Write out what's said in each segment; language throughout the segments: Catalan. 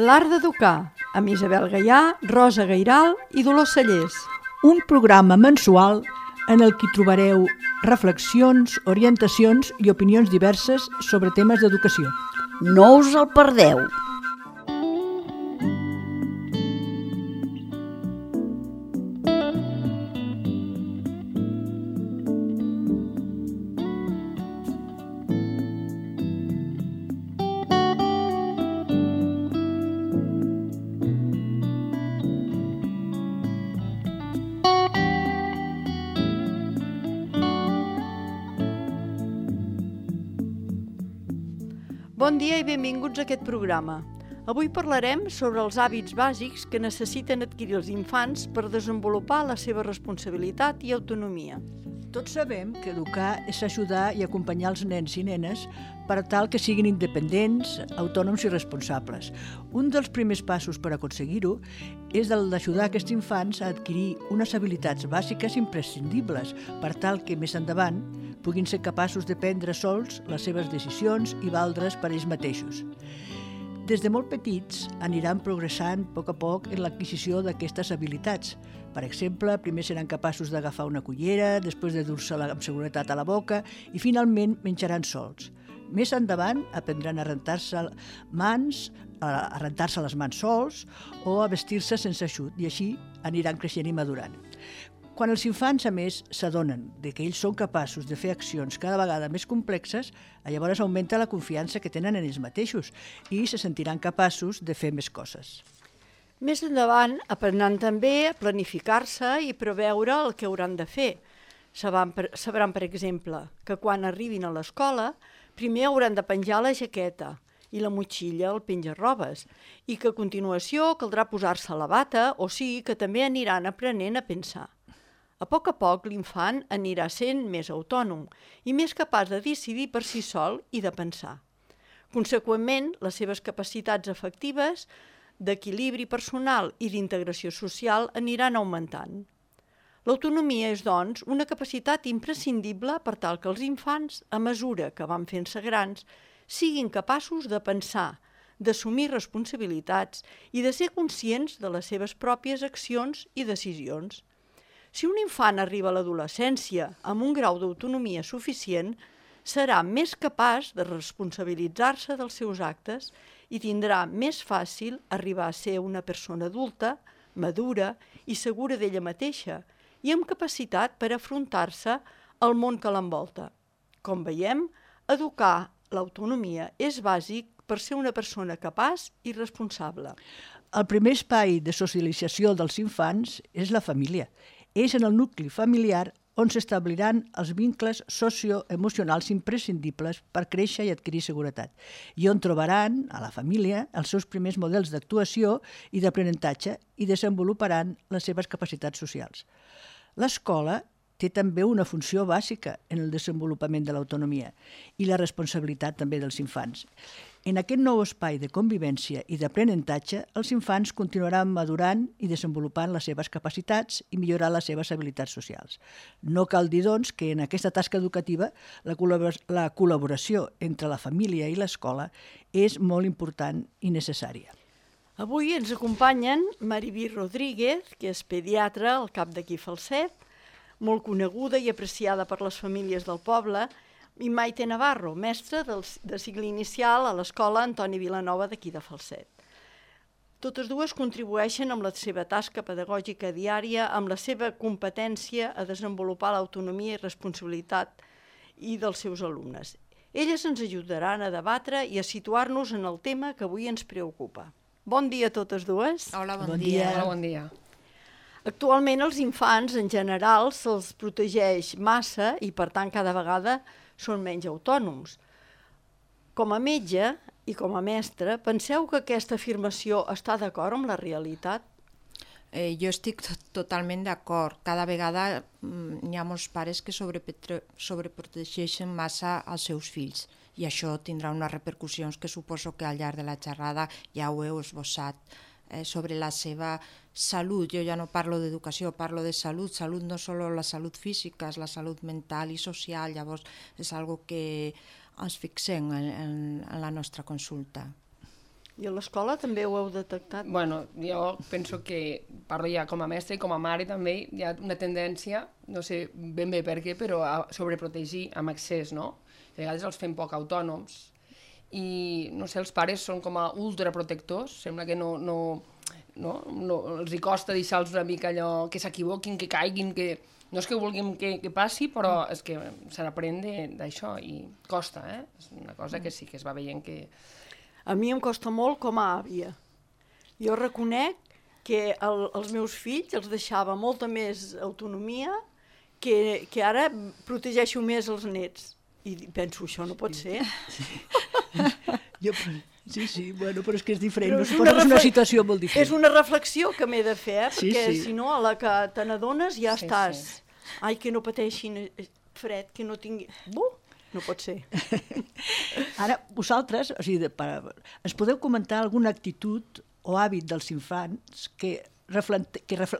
L'art d'educar, amb Isabel Gaià, Rosa Gairal i Dolors Cellers. Un programa mensual en el que trobareu reflexions, orientacions i opinions diverses sobre temes d'educació. No us el perdeu! Bon dia i benvinguts a aquest programa. Avui parlarem sobre els hàbits bàsics que necessiten adquirir els infants per desenvolupar la seva responsabilitat i autonomia. Tots sabem que educar és ajudar i acompanyar els nens i nenes per tal que siguin independents, autònoms i responsables. Un dels primers passos per aconseguir-ho és el d'ajudar aquests infants a adquirir unes habilitats bàsiques imprescindibles per tal que més endavant puguin ser capaços de prendre sols les seves decisions i valdre's per ells mateixos. Des de molt petits aniran progressant a poc en l'adquisició d'aquestes habilitats. Per exemple, primer seran capaços d'agafar una cullera, després de dur-se-la amb seguretat a la boca i finalment menjaran sols. Més endavant aprendran a rentar-se les mans sols o a vestir-se sense ajut i així aniran creixent i madurant. Quan els infants, a més, s'adonen que ells són capaços de fer accions cada vegada més complexes, llavors augmenta la confiança que tenen en ells mateixos i se sentiran capaços de fer més coses. Més endavant aprendran també a planificar-se i preveure el que hauran de fer. Sabran, per exemple, que quan arribin a l'escola primer hauran de penjar la jaqueta i la motxilla, el penja-robes, i que a continuació caldrà posar-se la bata, o sigui que també aniran aprenent a pensar. A poc l'infant anirà sent més autònom i més capaç de decidir per si sol i de pensar. Conseqüentment, les seves capacitats afectives, d'equilibri personal i d'integració social aniran augmentant. L'autonomia és, doncs, una capacitat imprescindible per tal que els infants, a mesura que van fent-se grans, siguin capaços de pensar, d'assumir responsabilitats i de ser conscients de les seves pròpies accions i decisions. Si un infant arriba a l'adolescència amb un grau d'autonomia suficient, serà més capaç de responsabilitzar-se dels seus actes i tindrà més fàcil arribar a ser una persona adulta, madura i segura d'ella mateixa i amb capacitat per afrontar-se al món que l'envolta. Com veiem, educar l'autonomia és bàsic per ser una persona capaç i responsable. El primer espai de socialització dels infants és la família. És en el nucli familiar on s'establiran els vincles socioemocionals imprescindibles per créixer i adquirir seguretat, i on trobaran, a la família, els seus primers models d'actuació i d'aprenentatge i desenvoluparan les seves capacitats socials. L'escola té també una funció bàsica en el desenvolupament de l'autonomia i la responsabilitat també dels infants. En aquest nou espai de convivència i d'aprenentatge, els infants continuaran madurant i desenvolupant les seves capacitats i millorant les seves habilitats socials. No cal dir, doncs, que en aquesta tasca educativa la col·laboració entre la família i l'escola és molt important i necessària. Avui ens acompanyen Maribí Rodríguez, que és pediatra al CAP d'aquí Falset, molt coneguda i apreciada per les famílies del poble, i Maite Navarro, mestra de cicle inicial a l'escola Antoni Vilanova d'aquí de Falset. Totes dues contribueixen amb la seva tasca pedagògica diària, amb la seva competència a desenvolupar l'autonomia i responsabilitat i dels seus alumnes. Elles ens ajudaran a debatre i a situar-nos en el tema que avui ens preocupa. Bon dia a totes dues. Hola, bon dia. Hola, bon dia. Actualment els infants en general se'ls protegeix massa i per tant cada vegada són menys autònoms. Com a metge i com a mestre, penseu que aquesta afirmació està d'acord amb la realitat? Jo estic totalment d'acord. Cada vegada hi ha molts pares que sobreprotegeixen massa els seus fills i això tindrà unes repercussions que suposo que al llarg de la xerrada ja ho heu esbossat. Sobre la seva salut. Jo ja no parlo d'educació, parlo de salut. Salut no solo la salut física, és la salut mental i social. Llavors és algo que ens fixem en la nostra consulta. I a l'escola també ho heu detectat? Bueno, jo penso que, parlo ja com a mestra i com a mare també, hi ha una tendència, no sé ben bé per què, però a sobreprotegir amb excés, no? A vegades els fem poc autònoms i, no sé, els pares són com a ultraprotectors, sembla que no els hi costa deixar-los una mica allò, que s'equivoquin, que caiguin, que... No és que vulguin que passi, però és que se n'aprèn d'això i costa, És una cosa que sí que es va veient que... A mi em costa molt com a àvia. Jo reconec que els meus fills els deixava molta més autonomia que ara protegeixo més els nets. I penso, això no pot ser. Sí, bueno, però és que és diferent, és una situació molt diferent. És una reflexió que m'he de fer, perquè si no, a la que te n'adones ja estàs. Ai, que no pateixin fred, que no tingui... No pot ser. Ara, vosaltres, o sigui, ens podeu comentar alguna actitud o hàbit dels infants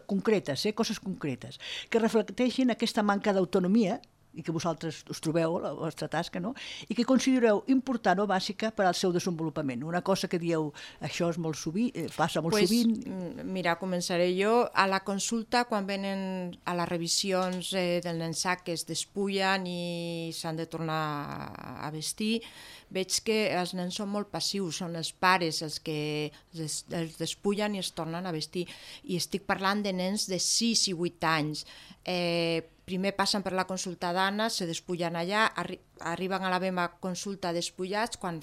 concretes, coses concretes, que reflecteixin aquesta manca d'autonomia i que vosaltres us trobeu a la vostra tasca, no? I que considereu important o bàsica per al seu desenvolupament. Una cosa que dieu, això és molt sovint, passa molt sovint... Mira, començaré jo. A la consulta, quan venen a les revisions del nensà que es despullen i s'han de tornar a vestir, veig que els nens són molt passius, són els pares els que els despullen i es tornen a vestir. I estic parlant de nens de 6 i 8 anys. Primer passen per la consulta d'Anna, se despullen allà, arriben a la meva consulta despullats, quan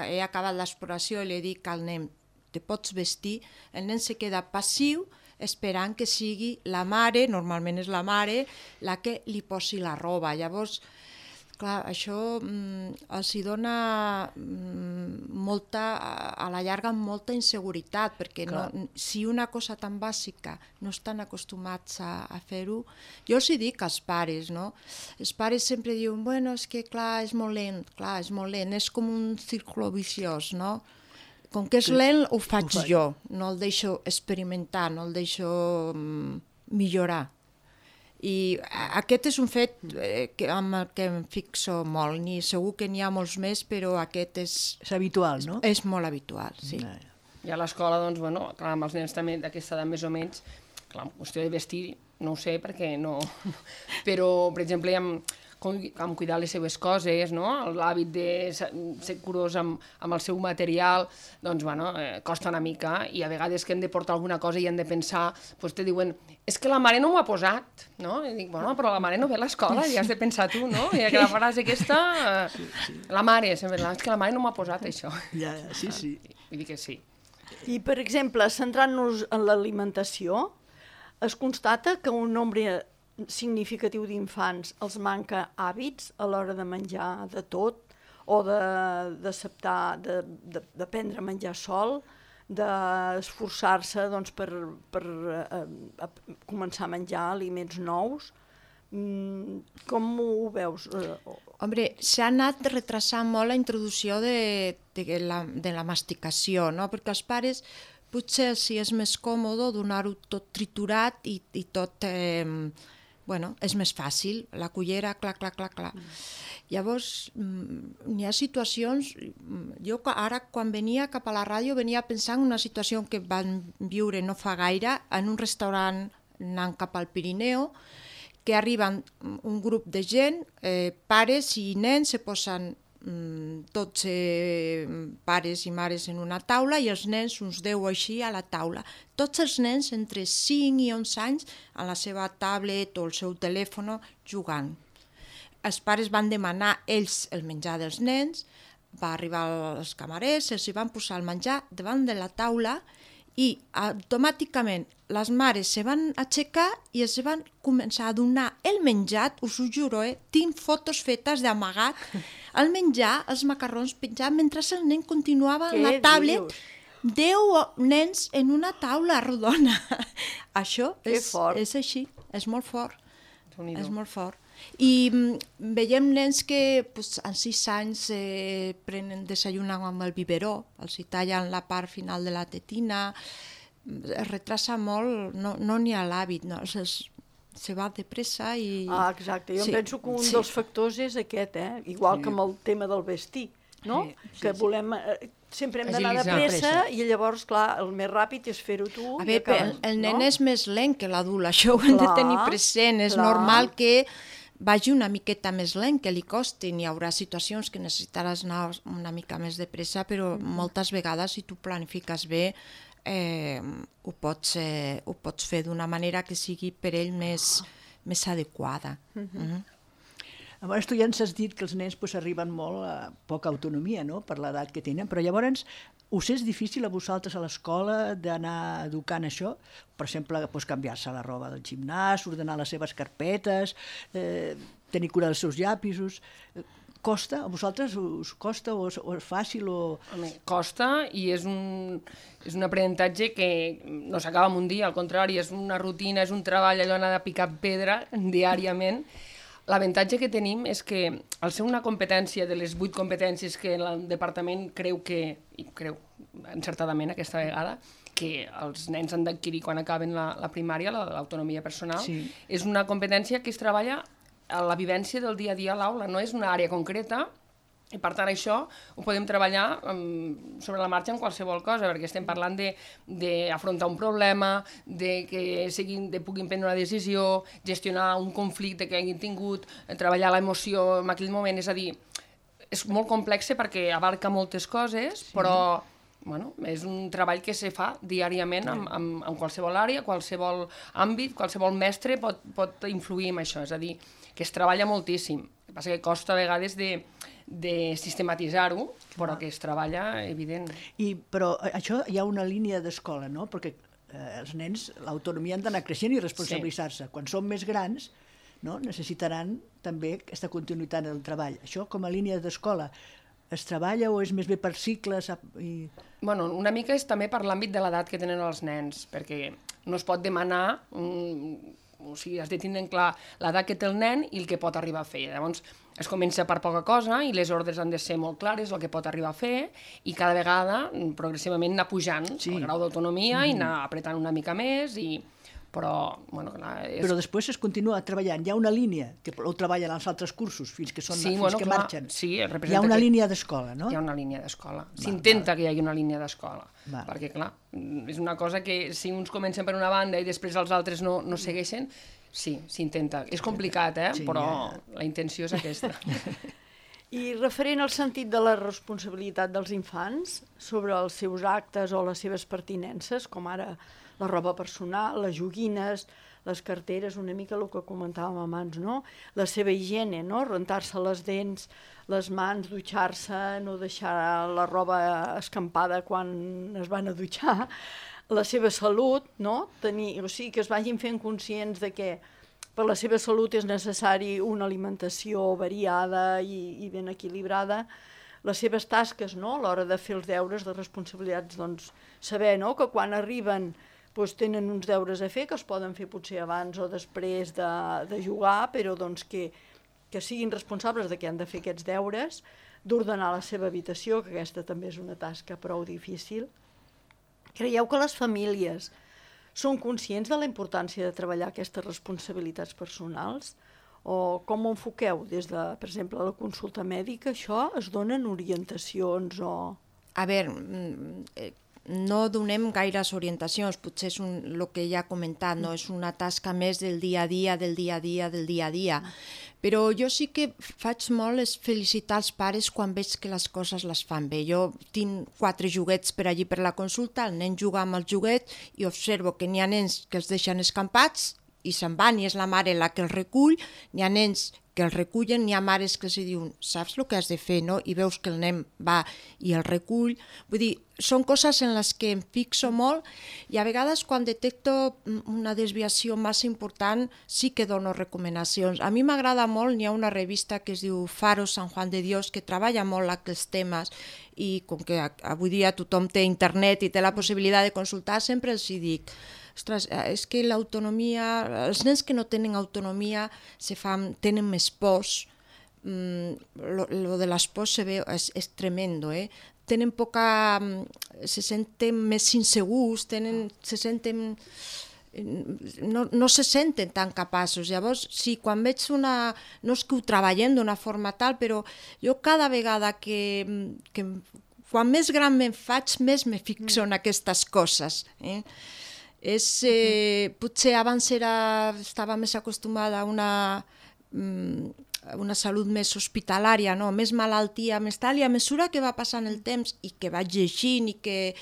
he acabat l'exploració i li dic al nen, te pots vestir, el nen se queda passiu esperant que sigui la mare, normalment és la mare, la que li posi la roba. Llavors, clar, això els hi dona a la llarga molta inseguretat, perquè si una cosa tan bàsica no estan acostumats a fer-ho, jo els hi dic als pares, no? Els pares sempre diuen, bueno, és que clar, és molt lent, és com un círculo viciós, no? Com que és lent, ho faig jo, no el deixo experimentar, no el deixo millorar. I aquest és un fet amb el que em fixo molt, segur que n'hi ha molts més, però aquest és habitual, no? És molt habitual, sí. I a l'escola, doncs, bueno, clar, amb els nens també d'aquesta edat més o menys, clar, en qüestió de vestir, no ho sé, perquè no... Però, per exemple, amb cuidar les seves coses, no? L'hàbit de ser curós amb el seu material, doncs, bueno, costa una mica, i a vegades que hem de portar alguna cosa i hem de pensar, doncs te diuen, és que la mare no m'ho ha posat, no? I dic, bueno, però la mare no ve a l'escola, i has de pensar tu, no? I que la frase aquesta, la mare, sempre, és que la mare no m'ha posat això. Sí. Vull dir que sí. I, per exemple, centrant-nos en l'alimentació, es constata que un nombre significatiu d'infants els manca hàbits a l'hora de menjar de tot o d'acceptar, de prendre a menjar sol, d'esforçar-se doncs, per començar a menjar aliments nous. Com ho veus? Hombre, s'ha anat retrasant molt la introducció de la masticació, no? Perquè els pares potser si és més còmode donar-ho tot triturat i tot... Bueno, és més fàcil, la cullera, clar. Llavors, hi ha situacions... Jo ara, quan venia cap a la ràdio, venia pensant en una situació que vam viure no fa gaire, en un restaurant anant cap al Pirineu, que arriben un grup de gent, pares i nens, se posen 12 pares i mares en una taula i els nens, uns 10 així, a la taula. Tots els nens entre 5 i 11 anys a la seva tablet o el seu telèfon jugant. Els pares van demanar ells el menjar dels nens, va arribar els camarers, els hi van posar el menjar davant de la taula i automàticament les mares se van aixecar i els van començar a donar el menjar, us ho juro, tinc fotos fetes d'amagat, el menjar, els macarrons penjats, mentre el nen continuava en la tablet, 10 nens en una taula rodona. Això és així, és molt fort, és molt fort. I veiem nens que en 6 anys desayunen amb el biberó, els tallen la part final de la tetina, es retrasa molt, no n'hi ha l'hàbit, no? Se va de pressa i... Exacte, jo penso que un dels factors és aquest, igual que amb el tema del vestir, no? Que volem sempre hem d'anar de Agilitzar. pressa i llavors, clar, el més ràpid és fer-ho tu. A i veure, acabes, el nen no? és més lent que l'adult, això ho hem de Clar, tenir present. És clar. normal que vagi una miqueta més lent, que li costi. Hi haurà situacions que necessitaràs anar una mica més de pressa, però moltes vegades, si tu planifiques bé, ho pots fer d'una manera que sigui per ell més adequada. Llavors, tu ja ens has dit que els nens arriben molt a poca autonomia, no?, per l'edat que tenen, però llavors us és difícil a vosaltres a l'escola d'anar educant això? Per exemple, canviar-se la roba del gimnàs, ordenar les seves carpetes, tenir cura dels seus llapisos... Costa? A vosaltres us costa o és fàcil? Home, costa i és un aprenentatge que no s'acaba en un dia, al contrari, és una rutina, és un treball, allò anar de picar pedra diàriament. L'avantatge que tenim és que, al ser una competència de les 8 competències que el departament creu encertadament aquesta vegada, que els nens han d'adquirir quan acaben la primària, l'autonomia personal, sí. És una competència que es treballa a la vivència del dia a dia a l'aula, no és una àrea concreta, i per tant això ho podem treballar sobre la marxa en qualsevol cosa, perquè estem parlant d'afrontar un problema, que puguin prendre una decisió, gestionar un conflicte que hagin tingut, treballar l'emoció en aquell moment, és a dir, és molt complex perquè abarca moltes coses, però bueno, és un treball que se fa diàriament en qualsevol àrea, qualsevol àmbit, qualsevol mestre pot influir en això, és a dir, que es treballa moltíssim. El que passa que costa a vegades de sistematitzar-ho, però que es treballa, evident. Però això hi ha una línia d'escola, no? Perquè els nens, l'autonomia han d'anar creixent i responsabilitzar-se. Quan són més grans, no? Necessitaran també aquesta continuïtat en el treball. Això com a línia d'escola es treballa o és més bé per cicles? Bueno, una mica és també per l'àmbit de l'edat que tenen els nens, perquè no es pot demanar, o sigui, has de tindre clar l'edat que té el nen i el que pot arribar a fer. Llavors es comença per poca cosa i les ordres han de ser molt clares, el que pot arribar a fer, i cada vegada progressivament anar pujant el grau d'autonomia i anar apretant una mica més però... Bueno, clar, Però després es continua treballant. Hi ha una línia que ho treballen als altres cursos fins que marxen. Sí, hi ha una línia d'escola, no? Hi ha una línia d'escola. S'intenta que hi hagi una línia d'escola. Perquè, clar, és una cosa que si uns comencen per una banda i després els altres no segueixen, sí, s'intenta. És complicat, però la intenció és aquesta. I referent al sentit de la responsabilitat dels infants sobre els seus actes o les seves pertinences, com ara la roba personal, les joguines, les carteres, una mica el que comentàvem abans, no? La seva higiene, no? Rentar-se les dents, les mans, dutxar-se, no deixar la roba escampada quan es van a dutxar, la seva salut, no? O sigui, que es vagin fent conscients de que per la seva salut és necessari una alimentació variada i ben equilibrada, les seves tasques, no? A l'hora de fer els deures, les responsabilitats, doncs, saber, no? Que quan arriben tenen uns deures a fer, que es poden fer potser abans o després de jugar, però doncs que siguin responsables de que han de fer aquests deures, d'ordenar la seva habitació, que aquesta també és una tasca prou difícil. Creieu que les famílies són conscients de la importància de treballar aquestes responsabilitats personals? O com ho enfoqueu des de, per exemple, la consulta mèdica? Això es donen orientacions o...? A veure, no donem gaires orientacions, potser és el que ja he comentat, no? És una tasca més del dia a dia, però jo sí que faig molt és felicitar els pares quan veig que les coses les fan bé. Jo tinc 4 joguets per allí per la consulta, el nen juga amb els joguets i observo que n'hi ha nens que els deixen escampats i se'n van i és la mare la que els recull, n'hi ha nens que el recullen, n'hi ha mares que els diuen saps el que has de fer, no? I veus que el nen va i el recull. Vull dir, són coses en les que em fixo molt i a vegades quan detecto una desviació massa important sí que dono recomanacions. A mi m'agrada molt, n'hi ha una revista que es diu Faro San Juan de Dios que treballa molt aquests temes i com que avui dia tothom té internet i té la possibilitat de consultar, sempre els dic ostres, és que l'autonomia, els nens que no tenen autonomia tenen més pors, lo de les pors se veu, és tremendo, tenen poca, se senten més insegurs, se senten, no se senten tan capaços. Llavors, sí, quan veig no és que ho treballem d'una forma tal, però jo cada vegada que quan més gran me'n faig, més me fixo en aquestes coses. Potser abans estava més acostumada a una salut més hospitalària, no? Més malaltia, més tal, i a mesura que va passant el temps i que vaig llegint i que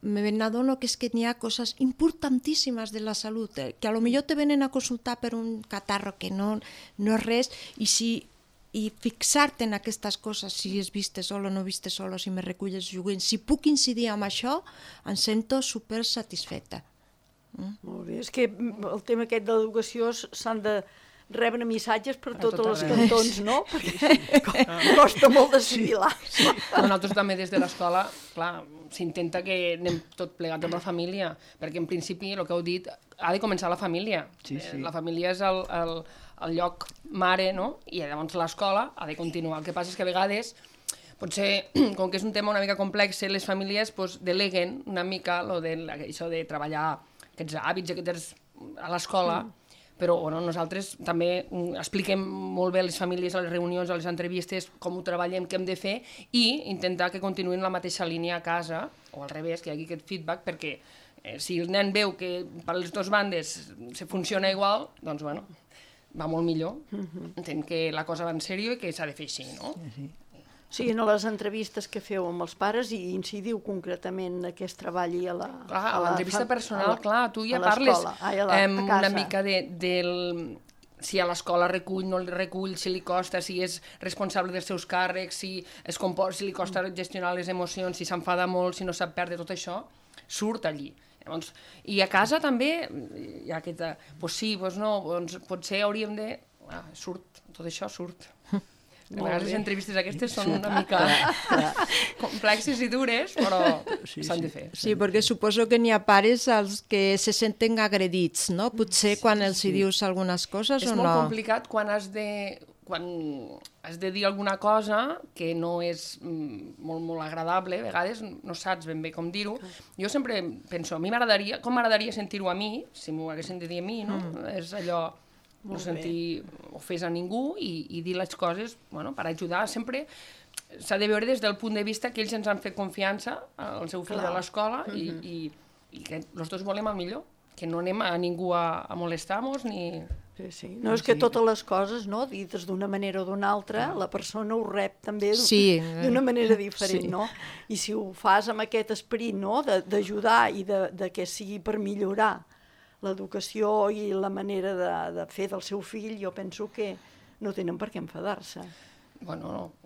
me n'adono que és que n'hi ha coses importantíssimes de la salut, que a lo millor te venen a consultar per un catarro que no és res, i fixar-te en aquestes coses, si és viste sol o no viste sol, o si me reculles joguint, si puc incidir en això, em sento super satisfeta. Molt bé, és que el tema aquest de l'educació s'han de rebre missatges per tots els cantons, no? Perquè costa molt d'assimilar. Nosaltres també des de l'escola, clar, s'intenta que anem tot plegat amb la família, perquè en principi, el que heu dit, ha de començar la família. La família és el lloc mare, no? I llavors l'escola ha de continuar. El que passa és que a vegades, potser, com que és un tema una mica complex, les famílies deleguen una mica això de treballar aquests hàbits a l'escola, però nosaltres també expliquem molt bé a les famílies, a les reunions, a les entrevistes, com ho treballem, què hem de fer, i intentar que continuïn la mateixa línia a casa, o al revés, que hi hagi aquest feedback, perquè si el nen veu que per les dues bandes se funciona igual, doncs va molt millor. Entenc que la cosa va en sèrio i que s'ha de fer així, no? Sí, en les entrevistes que feu amb els pares i incidiu concretament que es treballi a la... Clar, a l'entrevista personal, clar, tu ja parles una mica si a l'escola recull, no el recull, si li costa, si és responsable dels seus càrrecs, si li costa gestionar les emocions, si s'enfada molt, si no sap perdre, tot això surt allí. I a casa també hi ha aquesta... Doncs sí, doncs no, potser hauríem de... Tot això surt. A vegades les entrevistes aquestes són una mica complexes i dures, però s'han de fer. Sí, perquè suposo que n'hi ha pares als que se senten agredits, no? Potser quan els hi dius algunes coses o no. És molt complicat quan has de dir alguna cosa que no és molt agradable, a vegades no saps ben bé com dir-ho. Jo sempre penso, com m'agradaria sentir-ho a mi, si m'ho haguessin de dir a mi, no? És allò... no sentir ofès a ningú i dir les coses per ajudar. Sempre s'ha de veure des del punt de vista que ells ens han fet confiança al seu fill a l'escola i que els dos volem el millor, que no anem a ningú a molestar-nos ni... Sí. No, és que totes les coses, no, dites d'una manera o d'una altra, la persona ho rep també d'una manera diferent, no? I si ho fas amb aquest esperit, no?, d'ajudar i de que sigui per millorar l'educació i la manera de fer del seu fill, jo penso que no tenen per què enfadar-se. No.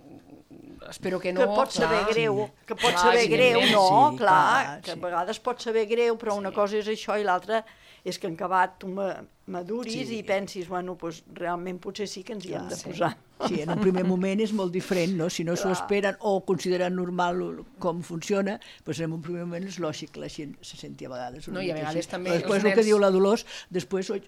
Espero que no. Que pot saber greu, que a vegades pot saber greu, però una cosa és això i l'altra és que en acabat tu maduris i pensis, doncs realment potser sí que ens hi hem de posar. Sí, en un primer moment és molt diferent, no? Si no s'ho esperen o consideren normal com funciona, doncs en un primer moment és lògic que la gent se senti a vegades. No, i a vegades també... Després el que diu la Dolors, després ho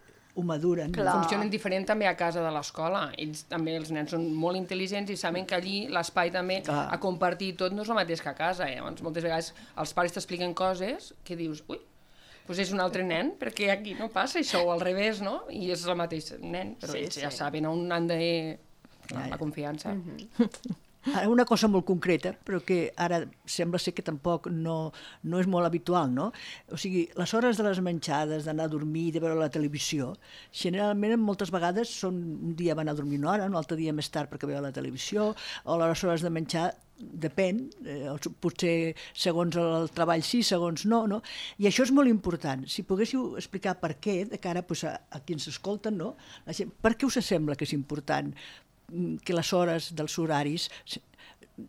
maduren. Funcionen diferent també a casa de l'escola. Ells també, els nens són molt intel·ligents i saben que allí l'espai també a compartir tot no és el mateix que a casa. Llavors, moltes vegades els pares t'expliquen coses que dius, doncs és un altre nen, perquè aquí no passa això, o al revés, no? I és el mateix nen, però ells ja saben on han de... la confiança. Ara, una cosa molt concreta, però que ara sembla ser que tampoc no és molt habitual, no? O sigui, les hores de les menjades, d'anar a dormir, de veure la televisió, generalment moltes vegades un dia van a dormir una hora, un altre dia més tard perquè veuen la televisió, o les hores de menjar depèn, potser segons el treball sí, segons no, no? I això és molt important. Si poguéssiu explicar per què, de cara a qui ens escolten, no? La gent, per què us sembla que és important que les hores dels horaris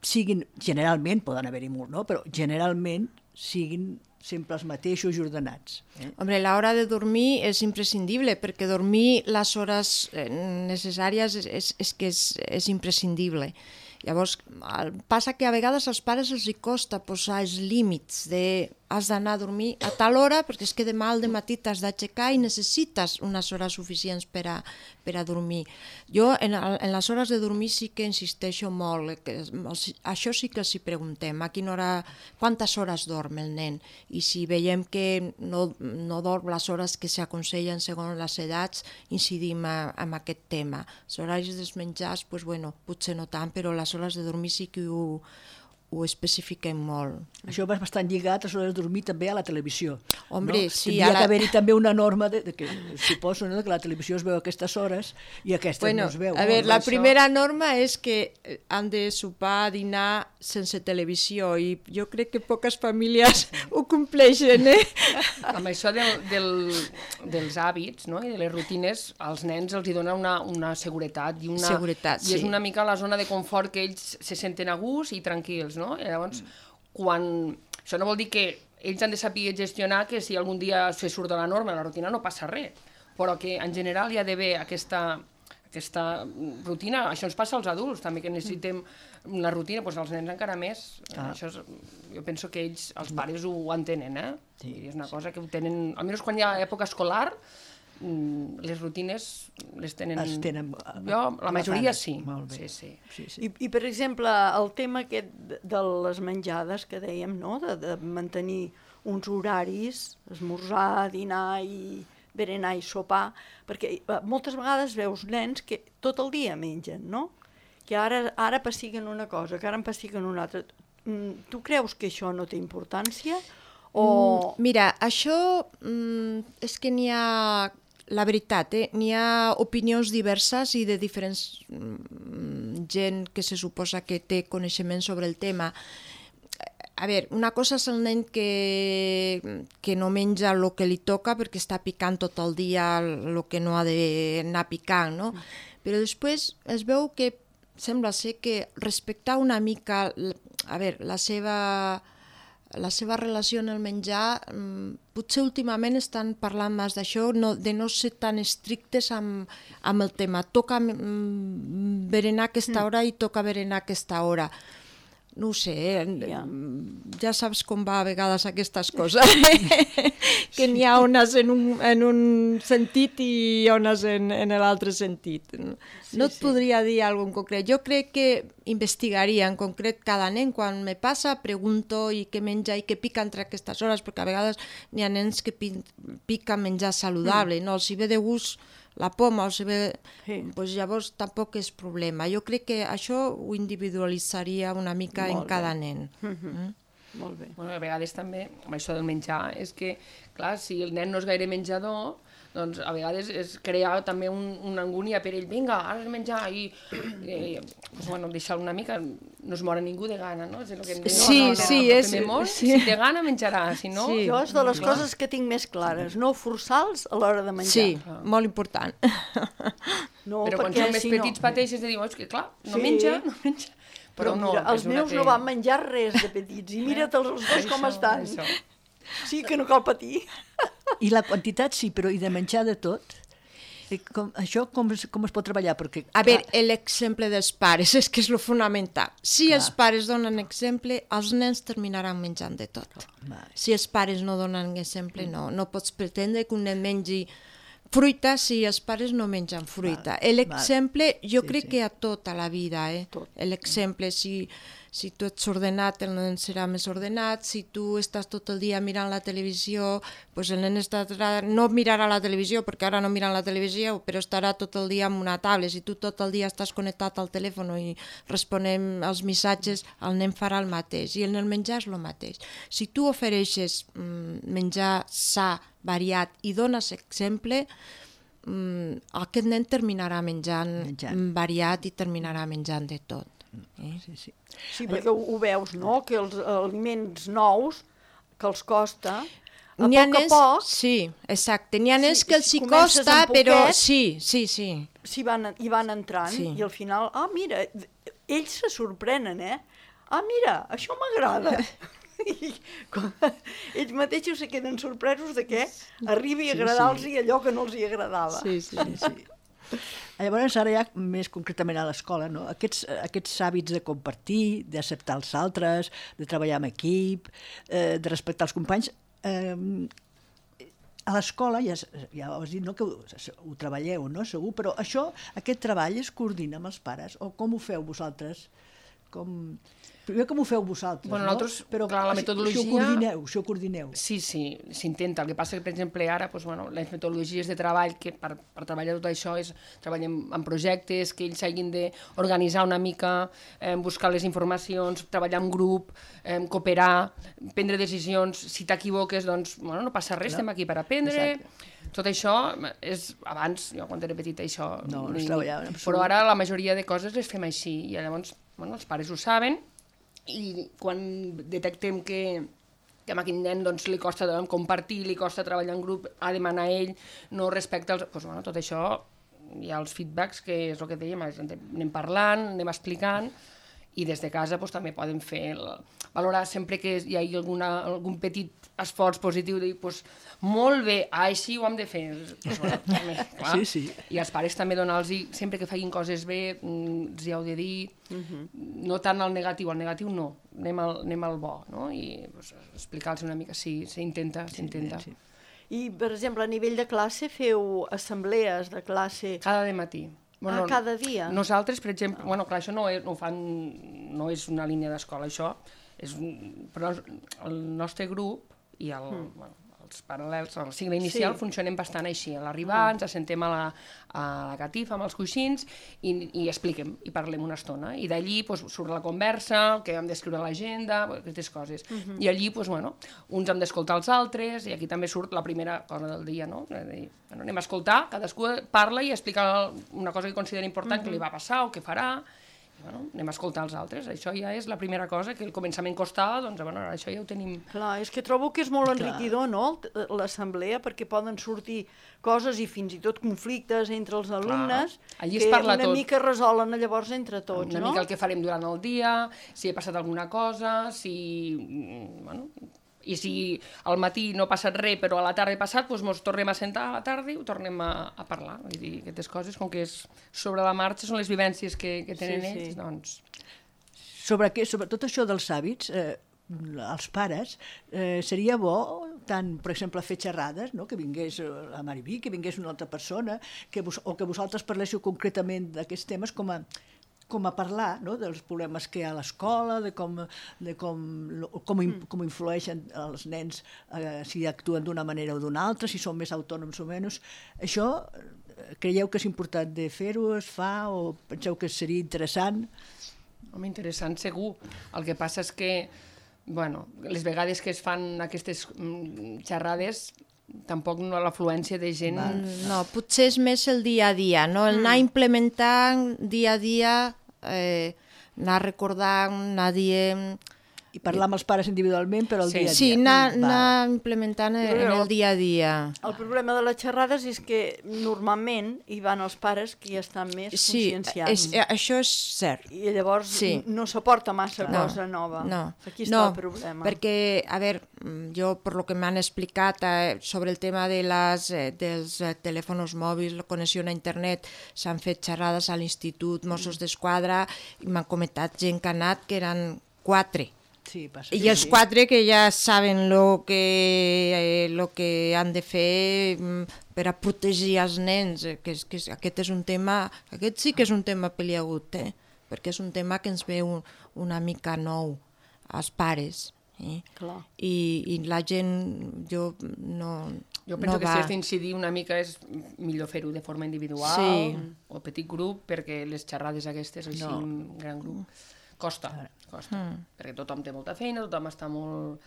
siguin, generalment, poden haver-hi molt, no? Però generalment siguin sempre els mateixos i ordenats. Hombre, la hora de dormir és imprescindible, perquè dormir les hores necessàries és que és imprescindible. Llavors, passa que a vegades als pares els costa posar els límits de has d'anar a dormir a tal hora perquè és que demà al dematí t'has d'aixecar i necessites unes hores suficients per a dormir. Jo en les hores de dormir sí que insisteixo molt, això sí que els hi preguntem, quantes hores dorm el nen? I si veiem que no dorm les hores que s'aconsellen segons les edats, incidim en aquest tema. Els horaris dels menjars, potser no tant, però les hores de dormir sí que ho ho especifiquem molt. Això va bastant lligat a l'hora de dormir també a la televisió. Hombre, no? sí, Tindria que haver-hi també una norma de que suposo, no?, que la televisió es veu a aquestes hores i aquestes no es veu. A veure, la primera norma és que han de sopar, dinar sense televisió i jo crec que poques famílies ho compleixen, Amb això dels hàbits, no?, i de les rutines, als nens els hi dona una seguretat i Seguretat, és una mica la zona de confort que ells se senten a gust i tranquils, no? I llavors, això no vol dir que ells han de saber gestionar que si algun dia se surt de la norma, la rutina, no passa res, però que en general hi ha d'haver aquesta rutina. Això ens passa als adults també, que necessitem una rutina, doncs els nens encara més. Això jo penso que ells, els pares, ho entenen, Sí, és una cosa que ho tenen, almenys quan hi ha època escolar, les rutines les tenen... La majoria sí. Molt bé. Sí. I per exemple, el tema aquest de les menjades que dèiem, no?, de mantenir uns horaris, esmorzar, dinar i berenar i sopar, perquè moltes vegades veus nens que tot el dia mengen, no?, que ara passiguen una cosa, que ara en passiguen una altra. Tu creus que això no té importància? Mira, això és que n'hi ha... La veritat, n'hi ha opinions diverses i de diferents gent que se suposa que té coneixement sobre el tema. A veure, una cosa és el nen que no menja el que li toca perquè està picant tot el dia el que no ha d'anar picant, no? Però després es veu que sembla ser que respectar una mica la seva relació en el menjar, potser últimament estan parlant més d'això, de no ser tan estrictes amb el tema. Toca berenar a aquesta hora i toca berenar a aquesta hora. No ho sé, ja saps com va a vegades aquestes coses, que n'hi ha unes en un sentit i unes en l'altre sentit. No et podria dir alguna cosa en concret. Jo crec que investigaria en concret cada nen. Quan me passa, pregunto i què menja i què pica entre aquestes hores, perquè a vegades n'hi ha nens que piquen menjar saludable, no? Si ve de gust la poma o si ve... Doncs llavors tampoc és problema. Jo crec que això ho individualitzaria una mica en cada nen. Molt bé. Bueno, a vegades també, amb això del menjar, és que, clar, si el nen no és gaire menjador, doncs a vegades és crear també una angúnia per ell. Vinga, ara és menjar i deixar una mica, no es mora ningú de gana, no? Si té gana menjarà, si no... Jo és de les coses que tinc més clares, no forçar-los a l'hora de menjar. Sí, molt important. Però quan són més petits pateixes de dir, és que clar, no menja. Però mira, els meus no van menjar res de petits i mira't els dos com estan. Sí, que no cal patir. I la quantitat sí, però i de menjar de tot? Això com es pot treballar? Perquè, a veure, l'exemple dels pares és que és lo fonamental. Si els pares donen exemple, els nens terminaran menjant de tot. Si els pares no donen exemple, no pots pretendre que un nen mengi fruita si els pares no mengen fruita. L'exemple, jo crec que a tota la vida, l'exemple, si tu ets ordenat, el nen serà més ordenat. Si tu estàs tot el dia mirant la televisió, doncs el nen no mirarà la televisió, perquè ara no miren la televisió, però estarà tot el dia amb una tablet. Si tu tot el dia estàs connectat al telèfon i responem als missatges, el nen farà el mateix. I en el menjar és el mateix. Si tu ofereixes menjar sa, variat, i dones exemple, aquest nen terminarà menjant variat i terminarà menjant de tot. Sí, perquè ho veus, no?, que els aliments nous, que els costa, a poc... Sí, exacte. N'hi ha nens que els hi costa, però sí. Hi van entrant i al final, mira, ells se sorprenen, mira, això m'agrada. Ells mateixos se queden sorpresos de què arribi a agradar-los allò que no els hi agradava. Sí. Llavors, ara ja més concretament a l'escola, no? Aquests hàbits de compartir, d'acceptar els altres, de treballar en equip, de respectar els companys, a l'escola, ja ho has dit, no, que ho treballeu, no? Segur, però aquest treball es coordina amb els pares, o com ho feu vosaltres? Primer com ho feu vosaltres, Bueno, no? nosaltres, Però clar, la metodologia... Si ho coordineu. Sí, s'intenta. El que passa que, per exemple, ara, doncs, bueno, les metodologies de treball, que per treballar tot això és treballem en projectes, que ells hagin d'organitzar una mica, buscar les informacions, treballar en grup, cooperar, prendre decisions. Si t'equivoques, doncs, bueno, no passa res, estem aquí per aprendre. Exacte. Tot això és abans, jo quan era petita això... No es treballava en absolut. Però ara la majoria de coses les fem així i llavors, bueno, els pares ho saben i quan detectem que a aquell nen doncs, li costa compartir, li costa treballar en grup, ha de manar ell, no respecta els... Doncs, bueno, tot això hi ha els feedbacks, que és el que dèiem, anem parlant, anem explicant, i des de casa doncs, també poden fer valorar sempre que hi hagi algun petit esforç positiu, dir, doncs, molt bé, així ho hem de fer. Doncs, bueno, també, clar. Sí. I els pares també donar-los, sempre que facin coses bé, els hi heu de dir, no tant el negatiu no, anem al bo, no? I doncs, explicar-los una mica, sí, s'intenta. Sí. I, per exemple, a nivell de classe feu assemblees de classe... Cada matí. Bueno, cada dia? Nosaltres, per exemple, bueno, clar, això no és una línia d'escola, això però el nostre grup i bueno, els paral·lels, el cicle inicial, funcionem bastant així. A l'arribar ens assentem a la catifa amb els coixins i expliquem, i parlem una estona. I d'allí doncs, surt la conversa, que hem d'escriure a l'agenda, aquestes coses. I allí, doncs, bueno, uns hem d'escoltar els altres, i aquí també surt la primera cosa del dia, no? Dir, bueno, anem a escoltar, cadascú parla i explica una cosa que considera important que li va passar o que farà, i bueno, anem a escoltar els altres. Això ja és la primera cosa, que al començament costava, doncs bueno, això ja ho tenim... Clar, és que trobo que és molt enriquidor, no?, l'assemblea, perquè poden sortir coses i fins i tot conflictes entre els alumnes, allí es parla que una tot. mica resolen llavors entre tots, una mica el que farem durant el dia, si ha passat alguna cosa, bueno, i si al matí no ha passat res però a la tarda ha passat, doncs ens tornem a sentar a la tarda i ho tornem a parlar. Vull dir, aquestes coses, com que és sobre la marxa, són les vivències que tenen ells, doncs... Sobre tot això dels hàbits, els pares, seria bo tant, per exemple, fer xerrades, no? Que vingués la Mariví, que vingués una altra persona, o que vosaltres parléssiu concretament d'aquests temes com a parlar, no?, dels problemes que hi ha a l'escola, de com influeixen els nens, si actuen d'una manera o d'una altra, si són més autònoms o menys. Això, creieu que és important de fer-ho, es fa, o penseu que seria interessant? Home, interessant segur. El que passa és que, bueno, les vegades que es fan aquestes xerrades, tampoc no l'afluència de gent... No, potser és més el dia a dia, no? El anar implementant dia a dia, anar recordant, anar dient... I parlar amb els pares individualment, però el dia a dia. Sí, anar implementant en el dia a dia. El problema de les xerrades és que normalment hi van els pares que ja estan més conscienciats. Sí, això és cert. I llavors no s'aporta massa cosa nova. No, aquí està el problema. Perquè, a veure, jo per lo que m'han explicat sobre el tema dels telèfons mòbils, la connexió a internet, s'han fet xerrades a l'Institut Mossos d'Esquadra i m'han comentat gent que ha anat que eren 4. Sí, passa. I els 4 que ja saben lo que han de fer per a protegir els nens, que aquest és un tema, aquest sí que és un tema peliagut, perquè és un tema que ens ve una mica nou als pares. Clar. I la gent, jo penso que si has d'incidir una mica és millor fer-ho de forma individual o petit grup, perquè les xerrades aquestes, així, un gran grup, costa, perquè tothom té molta feina, tothom està molt...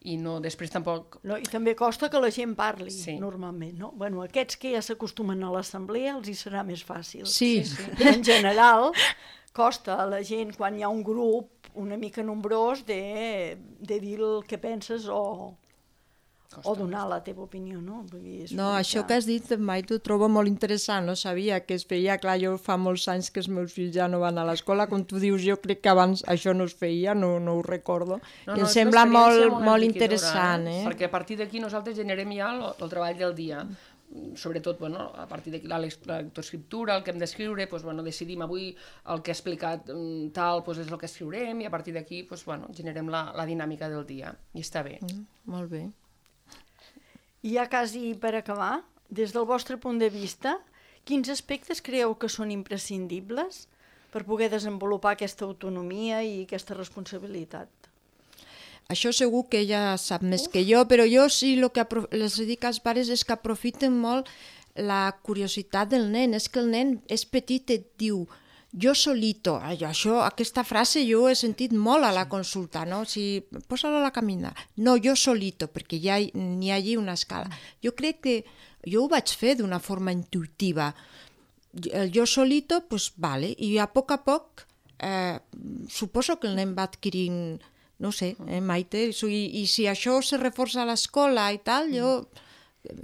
i no, després tampoc... No, i també costa que la gent parli, normalment, no? Bueno, aquests que ja s'acostumen a l'assemblea els hi serà més fàcil. Sí. Però en general costa a la gent, quan hi ha un grup una mica nombrós, de dir el que penses o donar la teva opinió, no? No, això que has dit mai t'ho trobo molt interessant, no sabia que es feia, clar, jo fa molts anys que els meus fills ja no van a l'escola, com tu dius, jo crec que abans això no es feia, no ho recordo, i em sembla molt interessant. Perquè a partir d'aquí nosaltres generem ja el treball del dia, sobretot a partir de la lectoescriptura, el que hem d'escriure, decidim avui el que ha explicat tal és el que escriurem, i a partir d'aquí generem la dinàmica del dia, i està bé. Molt bé. I ja quasi per acabar, des del vostre punt de vista, quins aspectes creieu que són imprescindibles per poder desenvolupar aquesta autonomia i aquesta responsabilitat. Això segur que ella sap més que jo, però jo sí el que les dic als pares és que aprofiten molt la curiositat del nen. És que el nen és petit i et diu jo solito. Aquesta frase jo he sentit molt a la consulta, no? Si posa-lo a la camina. No, jo solito, perquè ja n'hi ha allí una escala. Jo crec que jo ho vaig fer d'una forma intuitiva. El jo solito, doncs vale, i a poc suposo que el nen va adquirint, no sé, Maite, i si això se reforça a l'escola i tal, jo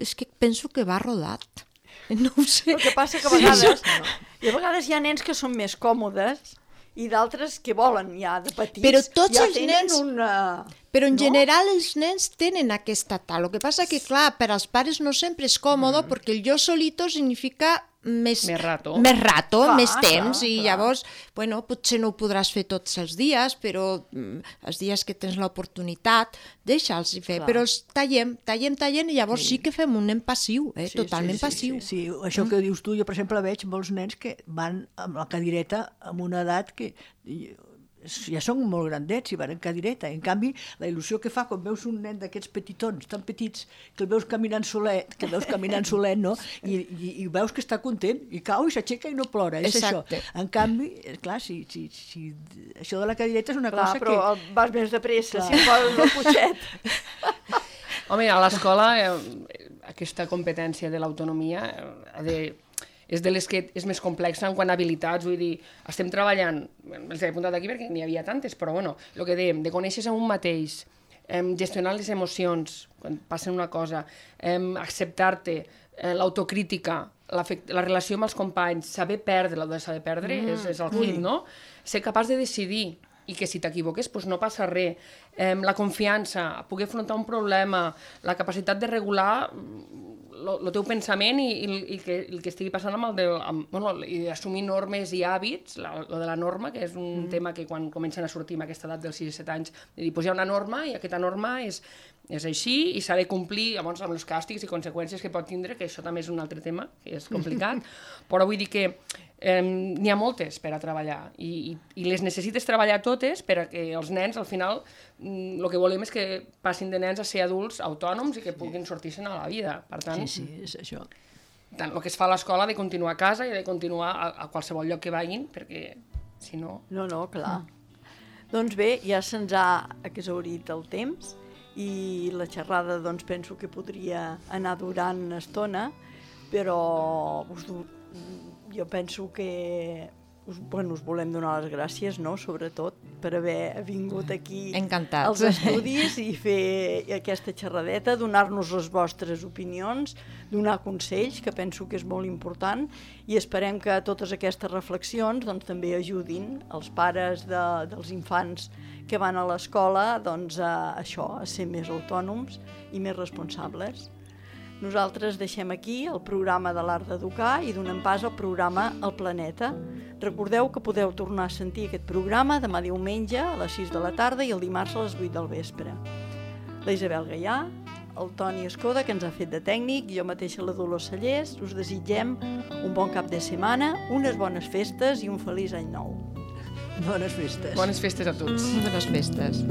és que penso que va rodat. No ho sé. El que passa que a vegades hi ha nens que són més còmodes i d'altres que volen ja de petits. Però tots ja els nens... Però en general els nens tenen aquesta tal. El que passa que, clar, per als pares no sempre és còmode perquè el jo solito significa més rato, clar, més temps, clar. Llavors, bueno, potser no ho podràs fer tots els dies, però els dies que tens l'oportunitat, deixa'ls fer, clar. Però els tallem, i llavors sí que fem un nen passiu, totalment passiu. Sí, això que dius tu, jo per exemple veig molts nens que van amb la cadireta amb una edat que ja són molt grandets i van en cadireta. En canvi, la il·lusió que fa quan veus un nen d'aquests petitons, tan petits, que el veus caminant solet, no? I veus que està content, i cau i s'aixeca i no plora. És exacte. Això. En canvi, clar, si això de la cadireta és una cosa que... Però vas més de pressa, si poses el cotxet. Home, a l'escola aquesta competència de l'autonomia és de les que és més complexa en quant a habilitats, vull dir, estem treballant, els he apuntat aquí perquè n'hi havia tantes, però bueno, el que dèiem, de conèixer-se a un mateix, gestionar les emocions quan passen una cosa, acceptar-te, l'autocrítica, la relació amb els companys, saber perdre, el de saber perdre és el hit, no? Ser capaç de decidir i que si t'equivoques doncs no passa res, la confiança, poder afrontar un problema, la capacitat de regular el teu pensament i el que estigui passant i assumir normes i hàbits, lo de la norma, que és un tema que quan comencen a sortir amb aquesta edat dels 6 i 7 anys, de dir, doncs hi ha una norma i aquesta norma és així i s'ha de complir llavors amb els càstigs i conseqüències que pot tindre, que això també és un altre tema, que és complicat, però vull dir que n'hi ha moltes per a treballar i les necessites treballar totes perquè els nens al final el que volem és que passin de nens a ser adults autònoms i que puguin sortir-se'n a la vida. Per tant, sí, és això. Tant el que es fa a l'escola ha de continuar a casa i ha de continuar a qualsevol lloc que vagin perquè si no... No, clar. Doncs bé, ja se'ns ha exhaurit el temps i la xerrada doncs penso que podria anar durant una estona, però jo penso que us volem donar les gràcies, no?, sobretot per haver vingut aquí als estudis i fer aquesta xerradeta, donar-nos les vostres opinions, donar consells, que penso que és molt important, i esperem que totes aquestes reflexions doncs, també ajudin els pares dels infants que van a l'escola doncs, a ser més autònoms i més responsables. Nosaltres deixem aquí el programa de l'Art d'Educar i donem pas al programa El Planeta. Recordeu que podeu tornar a sentir aquest programa demà diumenge a les 6 de la tarda i el dimarts a les 8 del vespre. La Isabel Gaià, el Toni Escoda, que ens ha fet de tècnic, i jo mateixa la Dolors Sallés, us desitgem un bon cap de setmana, unes bones festes i un feliç any nou. Bones festes. Bones festes a tots. Bones festes.